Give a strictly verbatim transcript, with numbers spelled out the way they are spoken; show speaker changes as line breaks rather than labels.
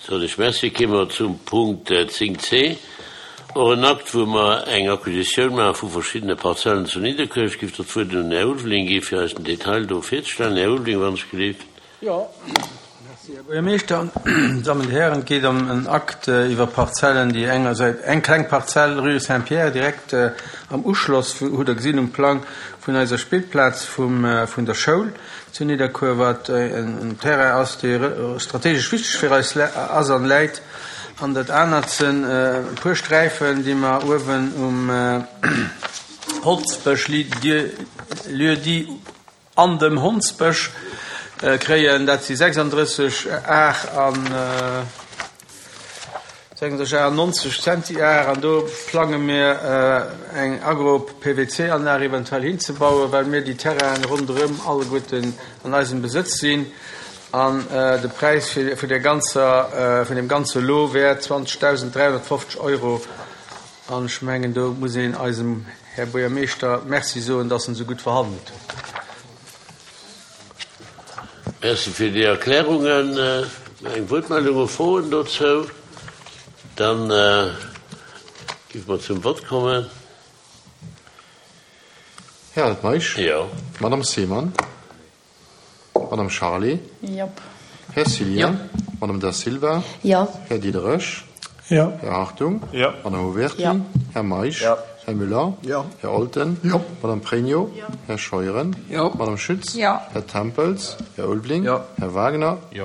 Soen ech Merci. Kéime mer zum Punkt zéng C, och en Akt, wou mer eng Acquisitioun maache vu verschiddene Parzellen zu Nidderkuer. Ech géif do d'Wuert un den Här Ulveling gi fir eis den Detail do virzestellen. Här Ulveling, wann ech gelift.
Jo, merci, Här Buergermeeschter. Dammen, Hären, et geet ëm en Akt iwwer Parzellen, déi engersäits eng kleng Parzell Rue Saint-Pierre direkt am Uschloss, hutt Der gesinn um Plang, vun eiser Spillplaz vum vun der Schoul zu Nidderkuer, wat en Terrain ass, dee strategesch wichteg fir eis ass an läit. An dat anert sinn e puer Sträifen, déi mer uewen um Holzbësch, lieu-dit An dem Hondsbësch kréien. Dat si sechsandrësseg Ar an sechsunddrësseg Ar an nonzeg Zentiar. An do plange mir eng Agro-P V C-Anlag eventuell hinzebauen, well mir déi Terrainen ronderëm alleguerten an eisem Besëtz sinn. An de Präis vun der ganzer, vun dem ganze Lot wär zwanzegdausend dräihonnertfofzeg Euro. An ech mengen, do muss een eisem Här Buergermeeschter Merci soen, dass en esou gutt verhandelt huet.
Merci fir déi Erklärungen. Eng Wuertmeldung, Froen dozou? Dann géife mer zum Vott kommen.
Här Altmeisch.
Jo.
Madame Seemann. Madame Charlé.
Jop.
Här Cillien.
Jo.
Madame Da Silva.
Jo.
Här Diderich.
Jo.
Här Hartung.
Jo.
Madame Obertin.
Jo.
Här Meisch.
Jo.
Här Müller.
Jo.
Här Olten.
Jo.
Madame Pregno.
Jo.
Här Scheuren.
Jo.
Madame Schütz.
Jo.
Här Tempels. Här Ulveling.
Jo.
Här Wagner.
Jo.